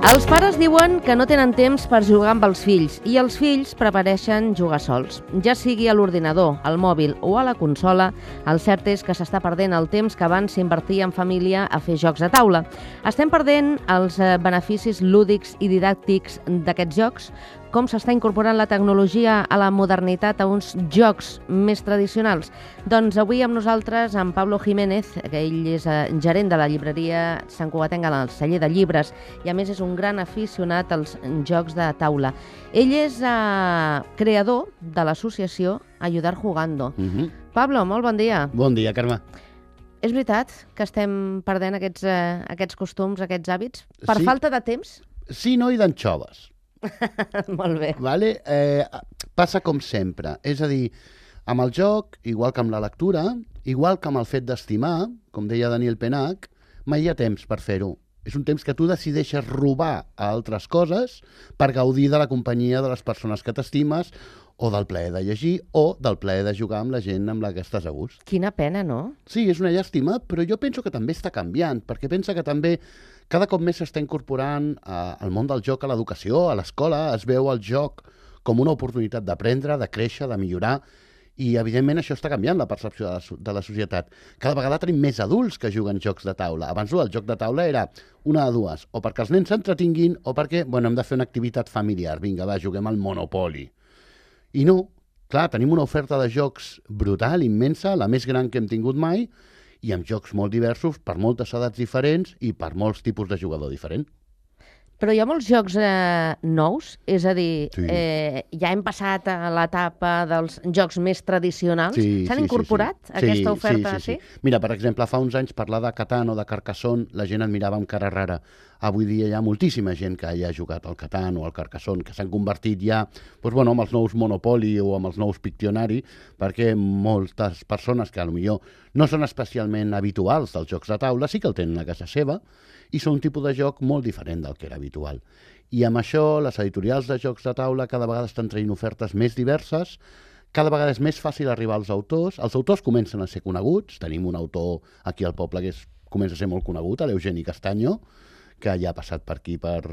Els pares diuen que no tenen temps per jugar amb els fills i els fills prefereixen jugar sols. Ja sigui a l'ordinador, al mòbil o a la consola, el cert és que s'està perdent el temps que abans s'invertia en família a fer jocs de taula. Estem perdent els beneficis lúdics i didàctics d'aquests jocs, com s'està incorporant la tecnologia a la modernitat a uns jocs més tradicionals. Doncs avui amb nosaltres en Pablo Jiménez, que ell és gerent de la llibreria Sant Cugatenc al celler de llibres i a més és un gran aficionat als jocs de taula. Ell és creador de l'associació Ayudar Jugando. Pablo, molt bon dia. Bon dia, Carme. És veritat que estem perdent aquests costums, aquests hàbits, per falta de temps? Sí, no, i d'anxoves. Molt bé. Vale? Passa com sempre. És a dir, amb el joc, igual que amb la lectura, igual que amb el fet d'estimar, com deia Daniel Penach, mai hi ha temps per fer-ho. És un temps que tu decideixes robar a altres coses per gaudir de la companyia de les persones que t'estimes o del plaer de llegir o del plaer de jugar amb la gent amb la que estàs a gust. Quina pena, no? Sí, és una llàstima, però jo penso que també està canviant, perquè pensa que també cada cop més s'està incorporant al món del joc a l'educació, a l'escola, es veu el joc com una oportunitat d'aprendre, de créixer, de millorar, i evidentment això està canviant la percepció de la societat. Cada vegada tenim més adults que juguen jocs de taula. Abans el joc de taula era una de dues, o perquè els nens s'entretinguin o perquè hem de fer una activitat familiar. Vinga, va, juguem al Monopoly. I no, clar, tenim una oferta de jocs brutal, immensa, la més gran que hem tingut mai, i amb jocs molt diversos, per moltes edats diferents i per molts tipus de jugador diferent. Però hi ha molts jocs nous, és a dir, Sí. Ja hem passat a l'etapa dels jocs més tradicionals. S'han incorporat aquesta oferta? Sí. Mira, per exemple, fa uns anys parlar de Catan o de Carcassonne, la gent et mirava amb cara rara. Avui dia hi ha moltíssima gent que ja ha jugat al Catan o al Carcassonne, que s'han convertit ja amb els nous Monopoly o amb els nous Pictionary, perquè moltes persones que potser no són especialment habituals dels jocs de taula, sí que el tenen a casa seva, i són un tipus de joc molt diferent del que era habitual. I amb això, les editorials de jocs de taula cada vegada estan traient ofertes més diverses, cada vegada és més fàcil arribar als autors. Els autors comencen a ser coneguts. Tenim un autor aquí al poble que comença a ser molt conegut, l'Eugeni Castaño, que ja ha passat per aquí, per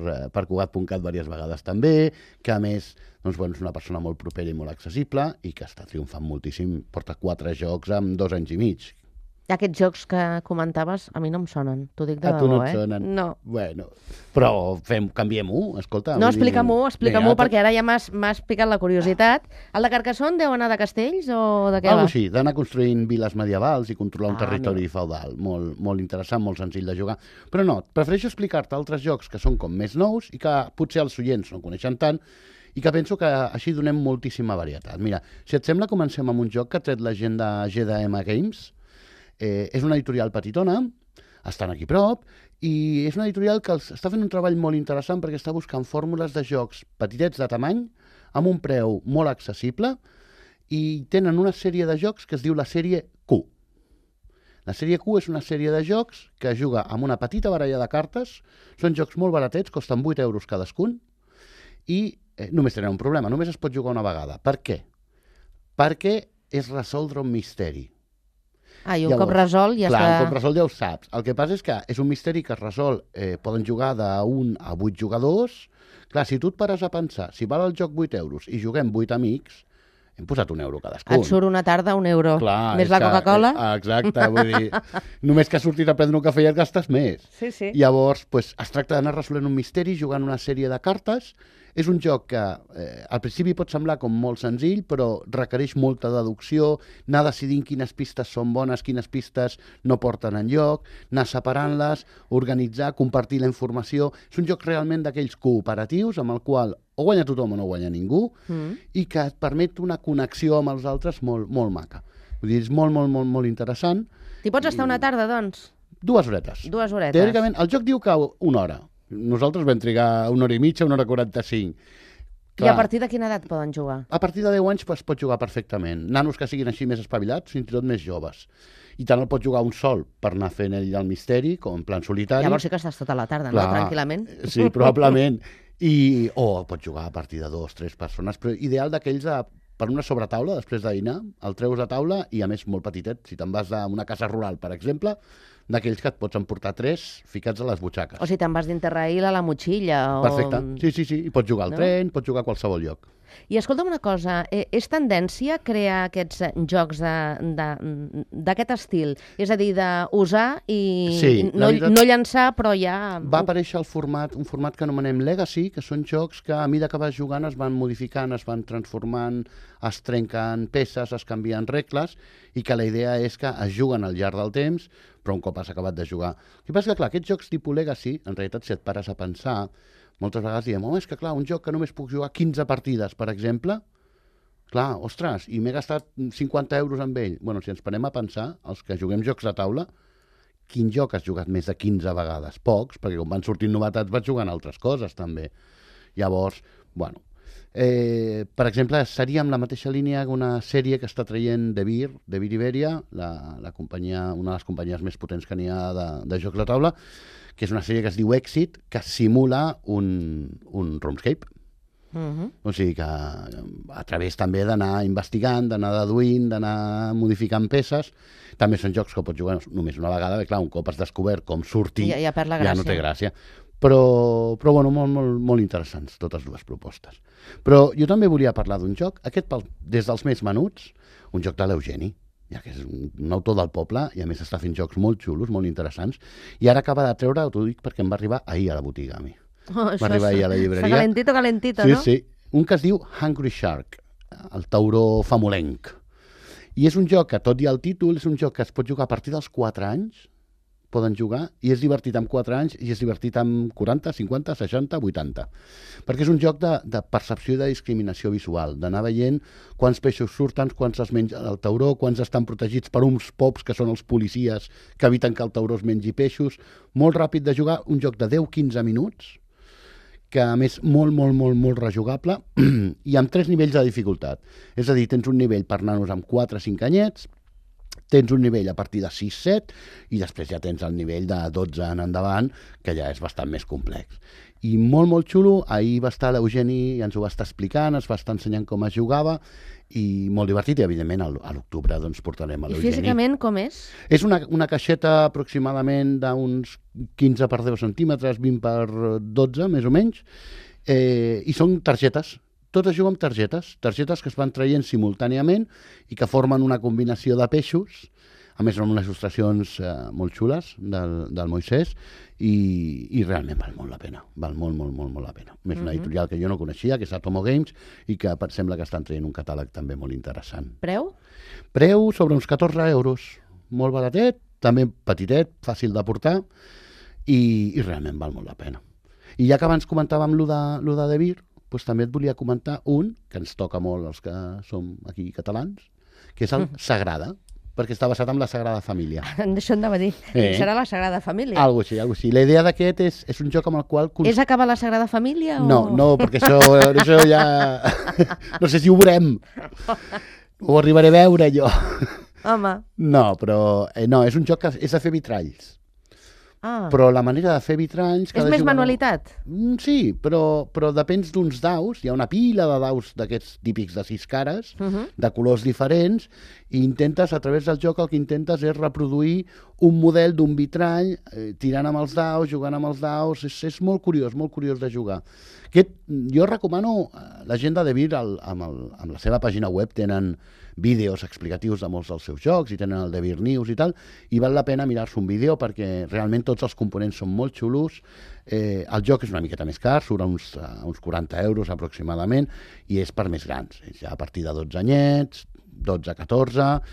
Cugat.cat diverses vegades també, que a més és una persona molt propera i molt accessible i que està triomfant moltíssim. Porta 4 jocs en 2 anys i mig. Aquests jocs que comentaves a mi no em sonen, t'ho dic de debò, tu no et sonen? No. Bueno, però canviem-ho, escolta. No, explica-m'ho, perquè ara ja m'has picat la curiositat. El de Carcassonne deu anar de castells o de què va? Algo així, d'anar construint viles medievals i controlar un territori feudal. Molt, molt interessant, molt senzill de jugar. Però no, prefereixo explicar-te altres jocs que són com més nous i que potser els oients no coneixen tant i que penso que així donem moltíssima varietat. Mira, si et sembla, comencem amb un joc que ha tret la gent de GDM Games. És una editorial petitona, estan aquí prop, i és una editorial que està fent un treball molt interessant perquè està buscant fórmules de jocs petitets de tamany, amb un preu molt accessible, i tenen una sèrie de jocs que es diu la sèrie Q. La sèrie Q és una sèrie de jocs que es juga amb una petita baralla de cartes, són jocs molt baratets, costen 8 euros cadascun, i només tenen un problema, només es pot jugar una vegada. Per què? Perquè és resoldre un misteri. I un cop resol ja està... Clar, un cop resol ja ho saps. El que passa és que és un misteri que es resol, poden jugar de 1 a 8 jugadors. Clar, si tu et pares a pensar, si val el joc 8 euros i juguem 8 amics, hem posat 1 euro cadascun. Et surt una tarda 1 euro. Clar, més la Coca-Cola. Exacte, vull dir, només que has sortit a prendre un cafè i et gastes més. Sí. Llavors, es tracta d'anar resolent un misteri jugant una sèrie de cartes. És un joc que al principi pot semblar com molt senzill, però requereix molta deducció, anar decidint quines pistes són bones, quines pistes no porten enlloc, anar separant-les, organitzar, compartir la informació. És un joc realment d'aquells cooperatius amb el qual o guanya tothom o no guanya ningú i que et permet una connexió amb els altres molt, molt maca. Vull dir, és molt, molt, molt, molt interessant. T'hi pots estar una tarda, doncs? 2 horetes. 2 horetes. Teòricament, el joc diu que 1 hora. Nosaltres vam trigar 1 hora i mitja, 1 hora 45. Clar. I a partir de quina edat poden jugar? A partir de 10 anys es pot jugar perfectament. Nanos que siguin així més espavilats, fins i tot més joves. I tant el pot jugar un sol per anar fent ell el misteri, com en plan solitari. Llavors sí que estàs tota la tarda, no? Tranquil·lament. Sí, probablement. O el pot jugar a partir de 2 o 3 persones, però ideal d'aquells per una sobretaula després de dinar, el treus a taula i a més molt petitet. Si te'n vas a una casa rural, per exemple, d'aquells que et pots emportar 3 ficats a les butxaques. O si te'n vas d'Interrail a la motxilla. Perfecte, sí. I pots jugar al tren, pots jugar a qualsevol lloc. I escolta'm una cosa, és tendència crear aquests jocs d'aquest estil? És a dir, d'usar i no llançar, però ja... Va aparèixer un format que anomenem Legacy, que són jocs que a mesura que vas jugant es van modificant, es van transformant, es trenquen peces, es canvien regles, i que la idea és que es juguen al llarg del temps, però un cop has acabat de jugar. El que passa que, clar, aquests jocs tipus Legacy, en realitat, si et pares a pensar, moltes vegades diem, és que clar, un joc que només puc jugar 15 partides, per exemple, clar, ostres, i m'he gastat 50 euros amb ell. Bueno, si ens parem a pensar, els que juguem jocs de taula, quin joc has jugat més de 15 vegades? Pocs, perquè quan van sortint novetats vaig jugant altres coses, també. Llavors, bueno... per exemple, seria amb la mateixa línia que una sèrie que està traient De Beer Iberia, la companyia, una de les companyies més potents que n'hi ha de jocs de taula, que és una sèrie que es diu Exit, que simula un RuneScape. O sigui que a través també d'anar investigant, d'anar deduint, d'anar modificant peces. També són jocs que pots jugar només una vegada, perquè clar, un cop has descobert com sortir, ja perd la gràcia. Ja no té gràcia. Però bueno, molt interessants, totes dues propostes. Però jo també volia parlar d'un joc, aquest des dels més menuts, un joc de l'Eugeni, ja que és un autor del poble i a més està fent jocs molt xulos, molt interessants, i ara acaba de treure, t'ho dic perquè em va arribar ahir a la botiga a mi. Va arribar ahir a la llibreria. Calentito, no? Sí. Un que es diu Hungry Shark, el tauró famolenc. I és un joc que, tot i el títol, és un joc que es pot jugar a partir dels 4 anys, poden jugar, i és divertit amb 4 anys i és divertit amb 40, 50, 60, 80. Perquè és un joc de percepció i de discriminació visual, d'anar veient quants peixos surten, quants es menja el tauró, quants estan protegits per uns pops que són els policies que eviten que el tauró es mengi peixos. Molt ràpid de jugar, un joc de 10-15 minuts, que a més molt rejugable, i amb 3 nivells de dificultat. És a dir, tens un nivell per nanos amb 4-5 anyets, tens un nivell a partir de 6-7 i després ja tens el nivell de 12 en endavant, que ja és bastant més complex. I molt xulo, ahir va estar l'Eugeni i ens ho va estar explicant, ens va estar ensenyant com es jugava, i molt divertit, i evidentment a l'octubre doncs portarem a l'Eugeni. I físicament com és? És una caixeta aproximadament d'uns 15 per 10 centímetres, 20 per 12, més o menys, i són targetes. Tot es juga amb targetes que es van traient simultàniament i que formen una combinació de peixos, a més amb unes il·lustracions molt xules del Moisès, i realment val molt la pena, val molt la pena. Més una editorial que jo no coneixia, que és Atomo Games, i que sembla que estan traient un catàleg també molt interessant. Preu? Preu sobre uns 14 euros, molt baratet, també petitet, fàcil de portar, i realment val molt la pena. I ja que abans comentàvem lo de De Beer, doncs també et volia comentar un que ens toca molt els que som aquí catalans, que és el Sagrada, perquè està basat en la Sagrada Família. Això em anava a dir. Serà la Sagrada Família? Algo així. La idea d'aquest és un joc amb el qual... És acabar la Sagrada Família? No, perquè això ja... No sé si ho veurem. Ho arribaré a veure, jo. Home. No, però... No, és un joc que és de fer vitralls. Però la manera de fer vitralls... És més manualitat? Sí, però depens d'uns daus, hi ha una pila de daus d'aquests típics de 6 cares, de colors diferents, i intentes, a través del joc, el que intentes és reproduir un model d'un vitrall, tirant amb els daus, jugant amb els daus, és molt curiós de jugar. Jo recomano la gent de De Beer, amb la seva pàgina web tenen vídeos explicatius de molts dels seus jocs i tenen el De Beer News i tal, i val la pena mirar-se un vídeo perquè realment tots els components són molt xulos. El joc és una miqueta més car, surt a uns 40 euros aproximadament, i és per més grans, és ja a partir de 12 anyets, 12-14,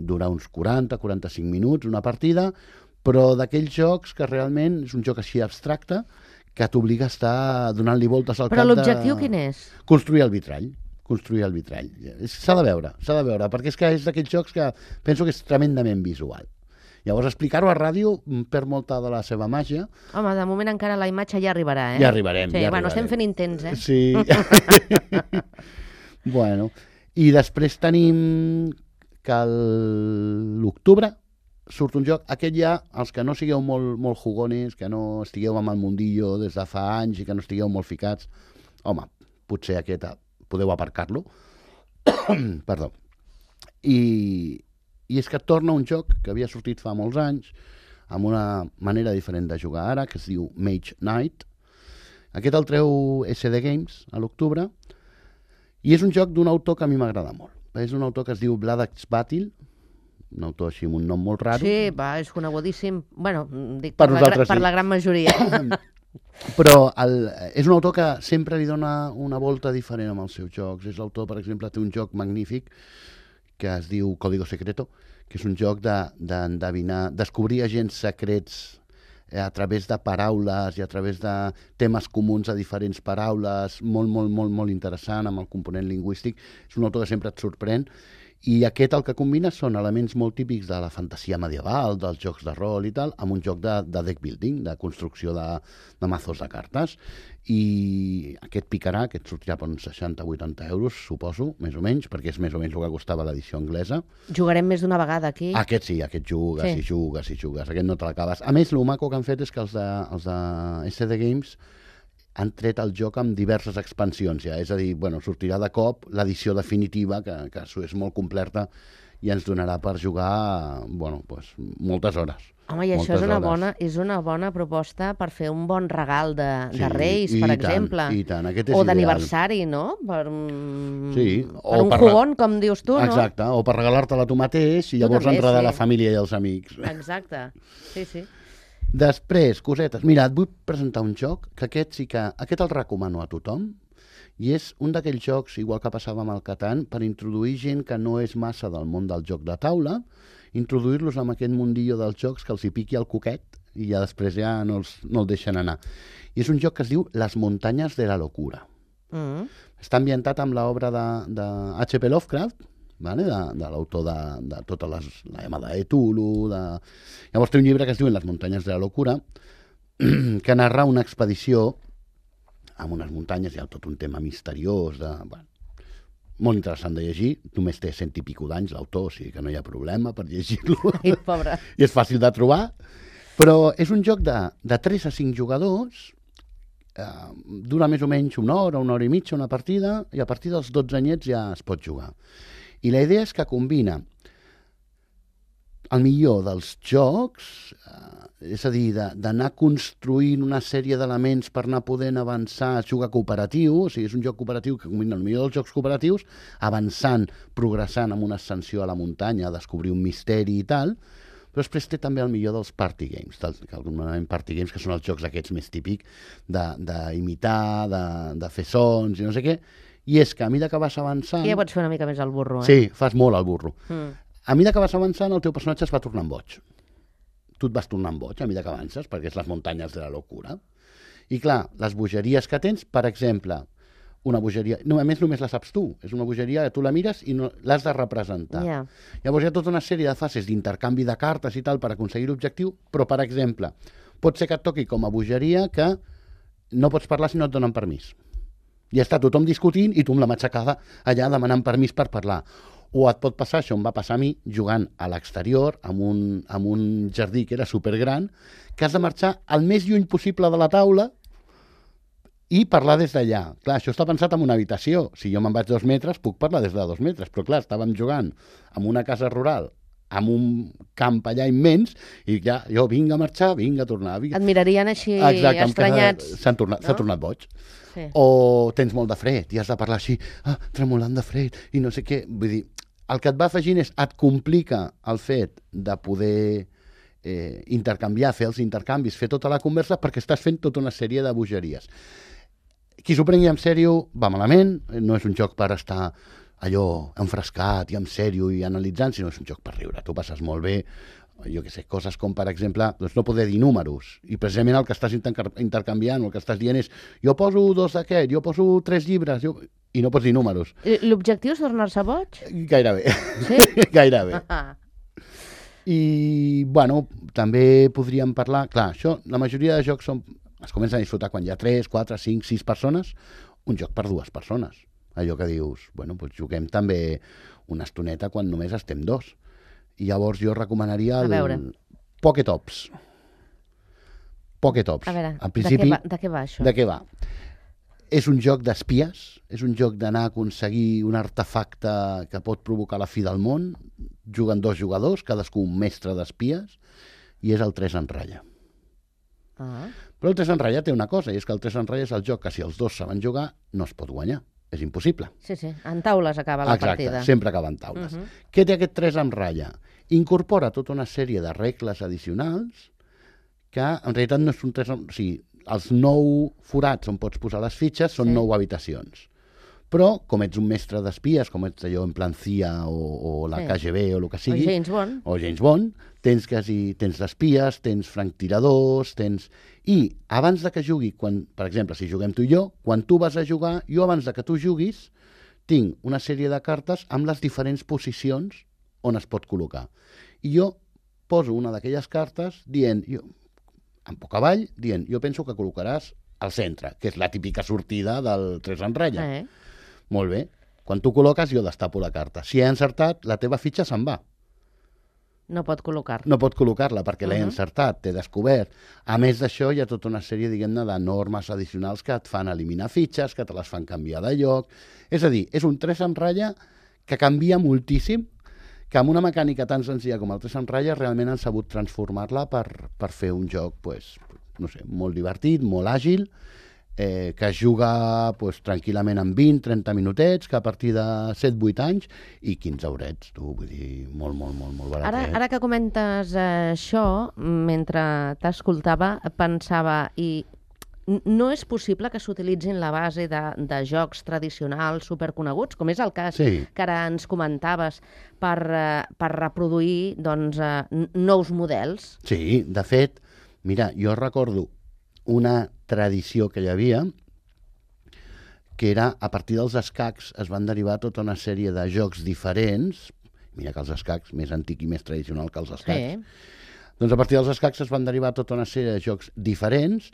dura uns 40-45 minuts una partida, però d'aquells jocs que realment és un joc així abstracte que t'obliga a estar donant-li voltes al cap de... Però l'objectiu quin és? Construir el vitrall. S'ha de veure, perquè és que és d'aquells jocs que penso que és tremendament visual. Llavors, explicar-ho a ràdio perd molta de la seva màgia. Home, de moment encara la imatge ja arribarà, eh? Ja arribarem. Bueno, estem fent intents, eh? Sí. Bueno, i després tenim que l'octubre surt un joc, aquest ja, els que no sigueu molt jugones, que no estigueu amb el mundillo des de fa anys i que no estigueu molt ficats, home, potser aquest podeu aparcar-lo, Perdó. I és que torna un joc que havia sortit fa molts anys, amb una manera diferent de jugar ara, que es diu Mage Knight. Aquest el treu SD Games a l'octubre, i és un joc d'un autor que a mi m'agrada molt. És un autor que es diu Bladax Batil, un autor així amb un nom molt raro. Sí, és conegudíssim. Bueno, dic Per per nosaltres, sí. la gran majoria. Però és un autor que sempre li dona una volta diferent amb els seus jocs. És l'autor, per exemple, té un joc magnífic que es diu Código Secreto, que és un joc d'endevinar, descobrir agents secrets a través de paraules i a través de temes comuns a diferents paraules, molt, molt, molt, molt interessant amb el component lingüístic. És un autor que sempre et sorprèn. I aquest el que combina són elements molt típics de la fantasia medieval, dels jocs de rol i tal, amb un joc de deck building, de construcció de mazos de cartes. I aquest picarà, aquest sortirà per uns 60-80 euros, suposo, més o menys, perquè és més o menys el que costava l'edició anglesa. Jugarem més d'una vegada aquí. Aquest sí, aquest jugues, sí. i jugues, i jugues. Aquest no te l'acabes. A més, el maco que han fet és que els de SD Games han tret el joc amb diverses expansions ja, és a dir, sortirà de cop l'edició definitiva, que és molt completa i ens donarà per jugar moltes hores. Home, i això és una bona proposta per fer un bon regal de Reis, per exemple. I tant, aquest és o d'aniversari, no? Per un jugón, com dius tu, no? Exacte, o per regalar-te-la tu mateix i llavors enredar la família i els amics. Exacte, sí. Després, cosetes. Mira, et vull presentar un joc que aquest el recomano a tothom, i és un d'aquells jocs, igual que passava amb el Catan, per introduir gent que no és massa del món del joc de taula, introduir-los en aquest mundillo dels jocs que els hi piqui el coquet i ja després ja no el deixen anar. I és un joc que es diu Las muntanyas de la locura. Està ambientat amb l'obra de H.P. Lovecraft, vale? De l'autor de tota la llamada de Cthulhu. Llavors té un llibre que es diu Las muntanyas de la locura, que narra una expedició amb unes muntanyes, hi ha tot un tema misteriós, molt interessant de llegir. Només té 100 i pico d'anys l'autor, o sigui que no hi ha problema per llegir-lo. Ai, pobre. I és fàcil de trobar, però és un joc de 3 a 5 jugadors, dura més o menys una hora i mitja una partida, i a partir dels 12 anyets ja es pot jugar. I la idea és que combina el millor dels jocs, és a dir, d'anar construint una sèrie d'elements per anar podent avançar, jugar cooperatiu, o sigui, és un joc cooperatiu que combina el millor dels jocs cooperatius, avançant, progressant amb una ascensió a la muntanya, a descobrir un misteri i tal, però després té també el millor dels party games, que alguns party games, que són els jocs aquests més típics d'imitar, de fer sons i no sé què. I és que a mesura que vas avançant... Ja pots fer una mica més el burro, Sí, fas molt el burro. A mesura que vas avançant, el teu personatge es va tornant boig. Tu et vas tornant boig a mesura que avances, perquè és les muntanyes de la locura. I clar, les bogeries que tens, per exemple, una bogeria... No, a més, només la saps tu. És una bogeria que tu la mires i no l'has de representar. Llavors hi ha tota una sèrie de fases d'intercanvi de cartes i tal per aconseguir l'objectiu, però, per exemple, pot ser que et toqui com a bogeria que no pots parlar si no et donen permís. I està tothom discutint i tu amb la matxacada allà demanant permís per parlar. O et pot passar, això em va passar a mi, jugant a l'exterior, amb un jardí que era supergran, que has de marxar el més lluny possible de la taula i parlar des d'allà. Clar, això està pensat en una habitació. Si jo me'n vaig 2 metres, puc parlar des de 2 metres. Però clar, estàvem jugant en una casa rural, amb un camp allà immens, i ja, jo vinc a marxar, vinc a tornar. Et mirarien així estranyats. S'ha tornat boig. Sí. O tens molt de fred i has de parlar així, tremolant de fred i no sé què. Vull dir, el que et va afegint és et complica el fet de poder intercanviar, fer els intercanvis, fer tota la conversa, perquè estàs fent tota una sèrie de bogeries. Qui s'ho prengui en sèrio va malament, no és un joc per estar allò enfrescat i en sèrio i analitzant, sinó és un joc per riure. Tu passes molt bé, jo què sé, coses com, per exemple, doncs no poder dir números, i precisament el que estàs intercanviant, el que estàs dient és jo poso 2 d'aquest, jo poso 3 llibres, i no pots dir números. L'objectiu és tornar-se boig? Gairebé. Sí? Gairebé. I, també podríem parlar... Clar, això, la majoria de jocs es comencen a disfrutar quan hi ha 3, 4, 5, 6 persones, un joc per 2 persones. Allò que dius, doncs juguem també una estoneta quan només estem 2. I llavors jo recomanaria el Pocket Ops. Pocket Ops. A veure, principi, de què va això? De què va? És un joc d'espies, és un joc d'anar a aconseguir un artefacte que pot provocar la fi del món. Juguen 2 jugadors, cadascú un mestre d'espies, i és el 3 en ratlla. Però el 3 en ratlla té una cosa, i és que el 3 en ratlla és el joc que si els 2 saben jugar no es pot guanyar. És impossible. Sí, en taules acaba la partida. Exacte, sempre acaba en taules. Què té aquest 3 en ratlla? Incorpora tota una sèrie de regles addicionals que en realitat no és un 3 en... O sigui, els 9 forats on pots posar les fitxes són 9 habitacions. Però, com ets un mestre d'espies, com ets allò en plan CIA o la KGB o el que sigui... O James Bond. Tens d'espies, tens franctiradors, I abans de que jugui, per exemple, si juguem tu i jo, quan tu vas a jugar, jo abans de que tu juguis, tinc una sèrie de cartes amb les diferents posicions on es pot col·locar. I jo poso una d'aquelles cartes dient... en poc avall, dient, jo penso que col·locaràs al centre, que és la típica sortida del 3 en ratlla. Molt bé. Quan tu col·loques, jo destapo la carta. Si he encertat, la teva fitxa se'n va. No pot col·locar-la. No pot col·locar-la, perquè l'he encertat, t'he descobert. A més d'això, hi ha tota una sèrie, diguem-ne, de normes addicionals que et fan eliminar fitxes, que te les fan canviar de lloc. És a dir, és un 3 en ratlla que canvia moltíssim, que amb una mecànica tan senzilla com el 3 en ratlla realment han sabut transformar-la per fer un joc, no sé, molt divertit, molt àgil, que es juga tranquil·lament en 20-30 minutets, que a partir de 7-8 anys, i 15 eurets, vull dir, molt barat. Ara que comentes això, mentre t'escoltava, pensava, i no és possible que s'utilitzin la base de jocs tradicionals superconeguts, com és el cas que ara ens comentaves, per reproduir nous models? Sí, de fet, mira, jo recordo una tradició que hi havia, que era, a partir dels escacs es van derivar tota una sèrie de jocs diferents, mira que els escacs, més antic i més tradicional que els escacs, doncs a partir dels escacs es van derivar tota una sèrie de jocs diferents,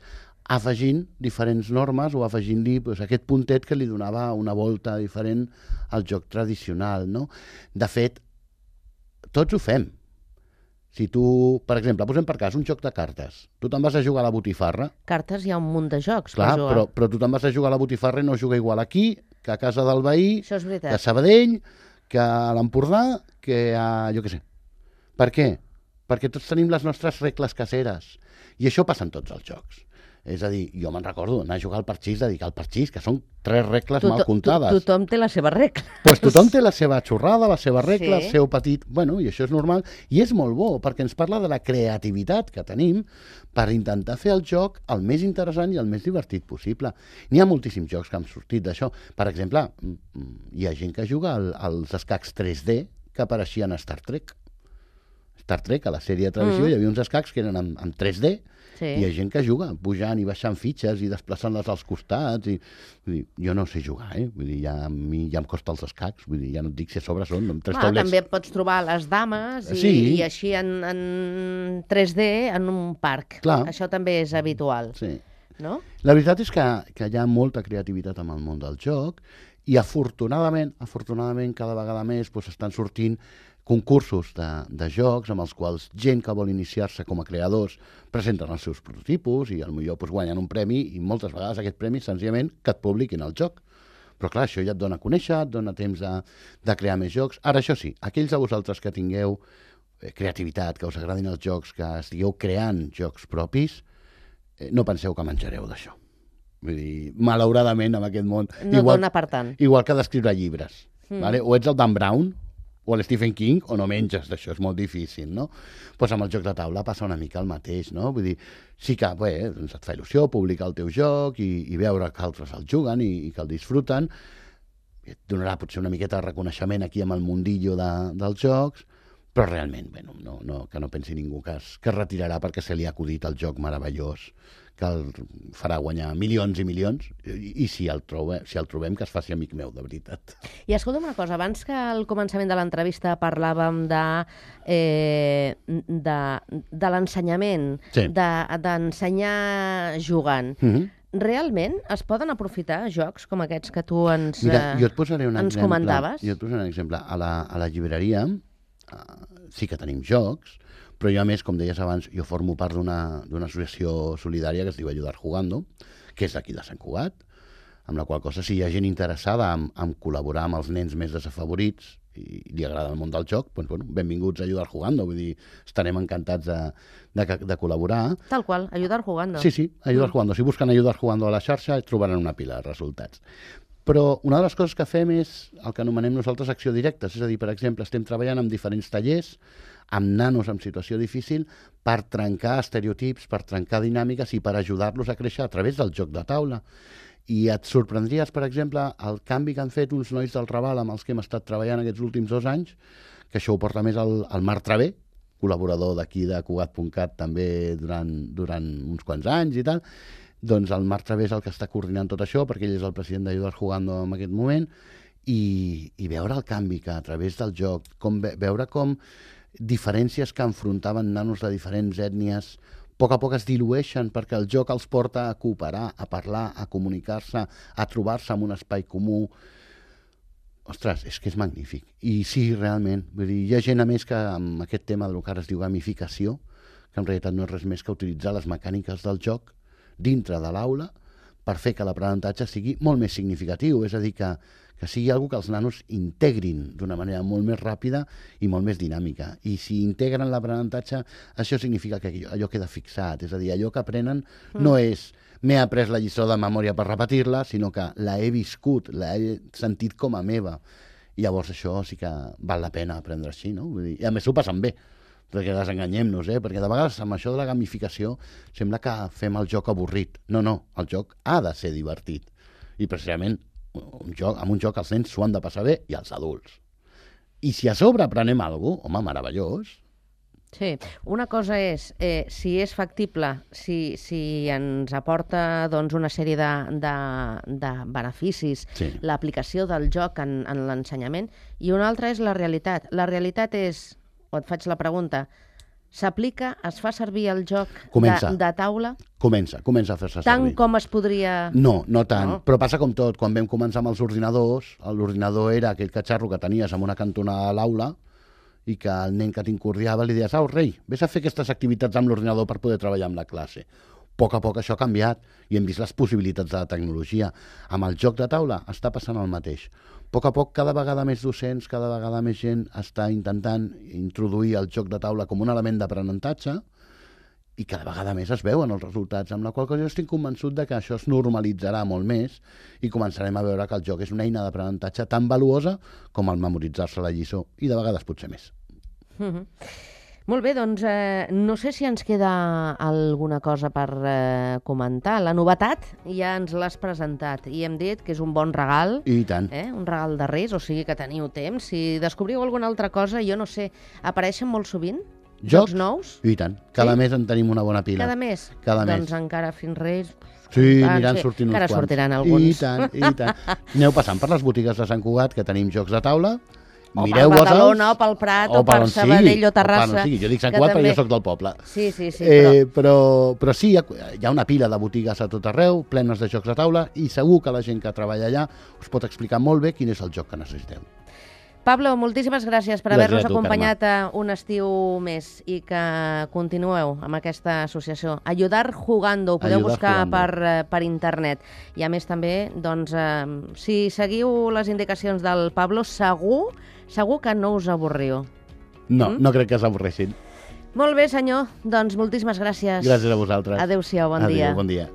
afegint diferents normes o afegint-li aquest puntet que li donava una volta diferent al joc tradicional, no? De fet, tots ho fem. Si tu, per exemple, posem per cas un joc de cartes, tu te'n vas a jugar a la botifarra... Cartes hi ha un munt de jocs per jugar. Però tu te'n vas a jugar a la botifarra i no juga igual aquí que a casa del veí, que a Sabadell, que a l'Empordà, que a... jo què sé. Per què? Perquè tots tenim les nostres regles caseres. I això passa en tots els jocs. És a dir, jo me'n recordo anar a jugar al parxís, dedicar al parxís, que són 3 regles mal comptades. Tothom té la seva regla. Doncs tothom té la seva xorrada, la seva regla, el seu petit... Bueno, i això és normal. I és molt bo, perquè ens parla de la creativitat que tenim per intentar fer el joc el més interessant i el més divertit possible. N'hi ha moltíssims jocs que han sortit d'això. Per exemple, hi ha gent que juga als escacs 3D que apareixien a Star Trek. Star Trek, a la sèrie de televisió, hi havia uns escacs que eren en 3D, i hi ha gent que juga, pujant i baixant fitxes i desplaçant-les als costats. Jo no sé jugar, Vull dir, a mi ja em costa els escacs, vull dir, ja no et dic si a sobre són amb 3 taulets. També pots trobar les dames i així en 3D en un parc. Això també és habitual. No? La veritat és que hi ha molta creativitat en el món del joc i afortunadament cada vegada més estan sortint concursos de jocs amb els quals gent que vol iniciar-se com a creadors presenten els seus prototipus i potser guanyen un premi i moltes vegades aquest premi és senzillament que et publiquin el joc. Però clar, això ja et dona a conèixer, et dona temps de crear més jocs. Ara, això sí, aquells de vosaltres que tingueu creativitat, que us agradin els jocs, que estigueu creant jocs propis, no penseu que menjareu d'això. Vull dir, malauradament, en aquest món... No dona per tant. Igual que d'escriure llibres. O ets el Dan Brown, o l'Stephen King, o no menges d'això, és molt difícil, no? Doncs amb el joc de taula passa una mica el mateix, no? Vull dir, sí que doncs et fa il·lusió publicar el teu joc i veure que altres el juguen i que el disfruten, et donarà potser una miqueta de reconeixement aquí amb el mundillo dels jocs, però realment, que no pensi ningú que es retirarà perquè se li ha acudit el joc meravellós que el farà guanyar milions i milions, i si el trobem, que es faci amic meu, de veritat. I escolta'm una cosa, abans que al començament de l'entrevista parlàvem de l'ensenyament, d'ensenyar jugant. Realment es poden aprofitar jocs com aquests que tu ens comentaves? Jo et posaré un exemple. A la llibreria sí que tenim jocs, però jo, a més, com deies abans, jo formo part d'una associació solidària que es diu Ayudar Jugando, que és d'aquí de Sant Cugat. amb la qual cosa, si hi ha gent interessada en col·laborar amb els nens més desafavorits i li agrada el món del joc, doncs, bueno, benvinguts a Ayudar Jugando, vull dir, estarem encantats de col·laborar. Tal qual, Ayudar Jugando. Sí, Ayudar Jugando. Si busquen Ayudar Jugando a la xarxa, trobaran una pila de resultats. Però una de les coses que fem és el que anomenem nosaltres acció directa, és a dir, per exemple, estem treballant amb diferents tallers, amb nanos en situació difícil, per trencar estereotips, per trencar dinàmiques i per ajudar-los a créixer a través del joc de taula. I et sorprendries, per exemple, el canvi que han fet uns nois del Raval amb els que hem estat treballant aquests últims 2 anys, que això ho porta més el Marc Travé, col·laborador d'aquí de Cugat.cat també durant uns quants anys i tal. Doncs el Marc Travé és el que està coordinant tot això, perquè ell és el president d'Ayudar Jugando en aquest moment, i veure el canvi que a través del joc, veure com diferències que enfrontaven nanos de diferents ètnies a poc es dilueixen perquè el joc els porta a cooperar, a parlar, a comunicar-se, a trobar-se en un espai comú. Ostres, és que és magnífic. I sí, realment, vull dir, hi ha gent a més que amb aquest tema del que ara es diu gamificació, que en realitat no és res més que utilitzar les mecàniques del joc dintre de l'aula per fer que l'aprenentatge sigui molt més significatiu, és a dir, que sigui algo que els nanos integrin d'una manera molt més ràpida i molt més dinàmica. I si integren l'aprenentatge, això significa que allò queda fixat, és a dir, allò que aprenen no és m'he après la lliçó de memòria per repetir-la, sinó que la he viscut, la he sentit com a meva. I llavors això sí que val la pena aprendre així, no? Vull dir, i a més s'ho passen bé, perquè desenganyem-nos, perquè de vegades amb això de la gamificació sembla que fem el joc avorrit. No, el joc ha de ser divertit. I precisament amb un joc els nens s'ho han de passar bé i els adults. I si a sobre aprenem alguna cosa, home, meravellós. Sí, una cosa és, si és factible, si ens aporta doncs, una sèrie de beneficis, l'aplicació del joc en l'ensenyament, i una altra és la realitat. La realitat és, o et faig la pregunta, s'aplica, es fa servir el joc de taula? Comença a fer-se servir. Tant com es podria... No tant, però passa com tot. Quan vam començar amb els ordinadors, l'ordinador era aquell catxarro que tenies en una cantonada a l'aula i que el nen que t'incurdiava li deies, rei, vés a fer aquestes activitats amb l'ordinador per poder treballar amb la classe. A poc això ha canviat i hem vist les possibilitats de la tecnologia. Amb el joc de taula està passant el mateix. A poc, cada vegada més docents, cada vegada més gent està intentant introduir el joc de taula com un element d'aprenentatge i cada vegada més es veuen els resultats, amb la qual cosa jo estic convençut de que això es normalitzarà molt més i començarem a veure que el joc és una eina d'aprenentatge tan valuosa com el memoritzar-se la lliçó i de vegades potser més. Molt bé, doncs no sé si ens queda alguna cosa per comentar. La novetat ja ens l'has presentat i hem dit que és un bon regal. I tant. Un regal de Reis, o sigui que teniu temps. Si descobriu alguna altra cosa, jo no sé, apareixen molt sovint? Jocs nous? I tant. Cada mes en tenim una bona pila. Cada mes? Doncs encara fins Reis... Sí, aniran sortint uns quants. Encara sortiran alguns. I tant. Aneu passant per les botigues de Sant Cugat, que tenim jocs de taula. O per Badalona, o pel Prat, o per Sabadell o Terrassa. Jo dic Sant Cugat perquè jo soc del poble. Sí. Però sí, hi ha una pila de botigues a tot arreu, plenes de jocs de taula, i segur que la gent que treballa allà us pot explicar molt bé quin és el joc que necessiteu. Pablo, moltíssimes gràcies per haver-nos acompanyat un estiu més i que continueu amb aquesta associació. Ayudar Jugando, ho podeu buscar per internet. I a més també, doncs, si seguiu les indicacions del Pablo, segur que no us avorriu. No crec que s'avorressin. Molt bé, senyor. Doncs moltíssimes gràcies. Gràcies a vosaltres. Adéu-siau, bon dia. Adéu, bon dia.